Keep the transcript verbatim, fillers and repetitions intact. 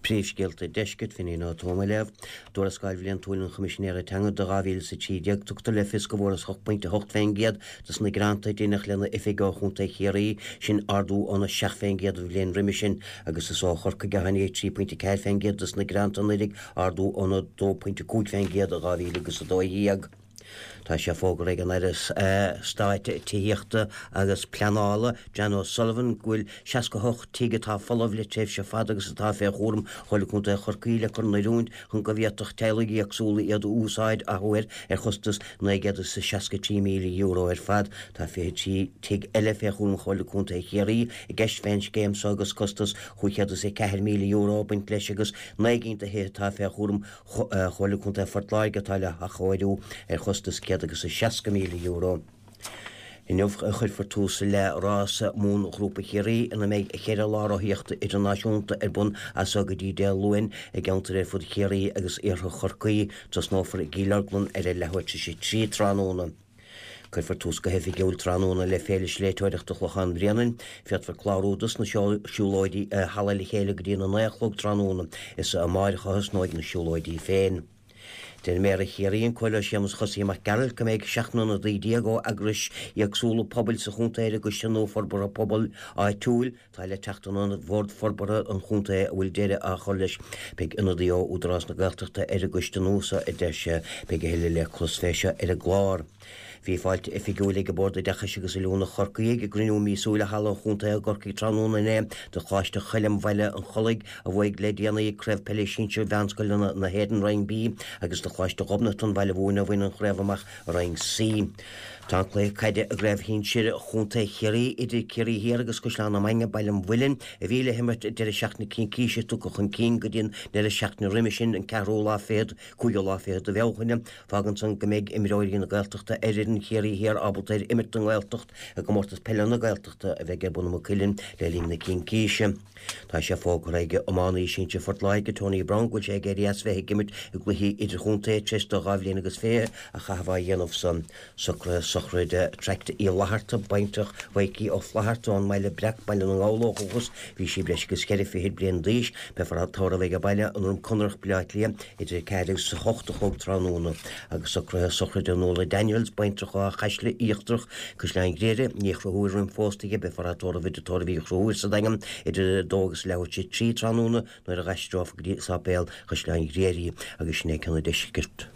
Príomhscéalta Deiscirt Finín Ó Tuama léamh, Tuarascáil Bhliantúil an Choimisinéara Teanga do dhá mhíle is a trí déag, tugtar le fios go bhfuarthas ocht bpointe a hocht fén gcéad dos na gearánta a deineadh lena oifig ó Chontae Chiarraí, sin ardú óna seacht fén gcéad an bhliain roimhe sin, agus is ó Chorcaigh a tháinig trí pointe ceathair fén gcéad dos na gearánta anuraidh, ardú óna dó pointe cúig fén gcéad i dhá mhíle agus a dó dhéag. Tá sé fógartha ag an Aire Stáit Tithíochta agus Pleanála, Jan O'Sullivan, go bhfuil seasca a hocht tigh atá folamh le tréimhse fada agus atá fé chúram Chomhairle Contae Chorcaí le cur in oiriúint chun go bhféadfadh teaghlaigh éagsúla iad a úsáid athuair ar chostas naoi gcéad is seasca trí míle euro ar fad. Tá fiche trí tigh eile fé chúram Chomhairle Contae Chiarraí i gceist fén scéim so agus costas chúig chéad is a ceathair míle euro ag baint leis agus naoi gcinn de thithe atá fé chúram Chomhairle Contae Phort Láirge atá le hathchóiriú ar chostas céad agus a seasca míle euro. Inniu a chuirfear tús le rás Mumhan Ghrúpa Chiarraí ina mbeidh ceithre lá rothaíochta idirnáisiúnta ar bun as so go dtí Dé Luain i gceantair ar fud Chiarraí agus iarthar Chorcaí. Tosnófar i gCill Orglan ar a leathuair tar éis a trí tráthnóna. Cuirfear tús go hoifigiúil tráthnóna le Féile Sléibhteoireachta Chlochán Bhréanainn. Féadfar clárú dos na siúlóidí i Halla Le Chéile go dtí na naoi a chlog tráthnóna. Is amáireach a thosnóidh na siúlóidí féin. Deir Méara Chiarraí, an Comhairleoir Séamus Chosaí Mac Gearailt, go mbeidh seacht n-ionadaí déag ó eagrais éagsúla pobail sa chontae ar an gCoiste nua Forbartha Pobail Áitiúil atá le teacht in ionad Bhord Forbartha an Chontae a bhfuil deireadh á chur leis. Beidh ionadaí ó Údarás na Gaeltachta ar an gcoiste nua seo, a deir sé. Beidh a thuilleadh le clos fé seo ar an gclár. Bhí fáilte oifigiúil ag Bord Oideachais agus Oiliúna Chorcaí ag a gcruinniú míosúil i Halla an Chontae i gCorcaigh tráthnóna inné do Choláiste Choilm Bhaile an Chollaigh a bhuaigh le déanaí Craobh Peile Sinsir Mheánscoileanna na hÉireann Roinn B agus do Choláiste Ghobnatan Bhaile Mhúirne a bhain an chraobh amach i Roinn C. Tá an cluiche caide i gCraobh Shinsir Chontae Chiarraí idir Ciarraí Thiar agus Caisleán na Mainge Baile an Mhuilinn a bhí le himirt deireadh seachtaine Cincíse tugtha chun cinn go dtí an deireadh seachtaine roimhe sin an ceathrú lá fichead, cúigiú lá fichead de Bhealtaine. Fágann san go mbeidh imreoirí na Gaeltachta ar fhoireann Chiarraí Thiar ábalta ar imirt don nGaeltacht i gcomórtas peile na Gaeltachta a bheidh ar bun i Maigh Cuilinn le linn na Cincíse. Tá sé fógartha ag iománaí sinsir Phort Láirge, Tony Browne, go bhfuil sé ag éirí as bheith ag imirt i gcluichí idirchontae tar éis dó dhá bhliain agus fiche a chaitheamh á dhéanamh san. Socruithe sochraide Traict Uí Fhlatharta, baintreach Mhaidhcí Ó Flatharta ón mBaile Breac, Baile na nGall ó dhúchas. Bhí sí breis agus ceithre fichid bliain d'aois. Beifear á tórramh ag a baile, an Droim Conrach, Baile Átha Cliath, idir a ceathair agus a hocht a chlog tráthnóna. Agus socruithe sochraide Nuala Daniels, baintreach ó Chaisle Íochtarach, Caisleán Ghriaire, ní Chonchúir roimh phósta aici, beifear á tórramh i dTigh Tórraimh Uí Chonchúir sa Daingean idir a dó agus leathuair tar éis a trí tráthnóna nuair a dh'aistreofar go dtí Sáipéal Chaisleáin Ghriaire í agus sin é ceann an deiscirt.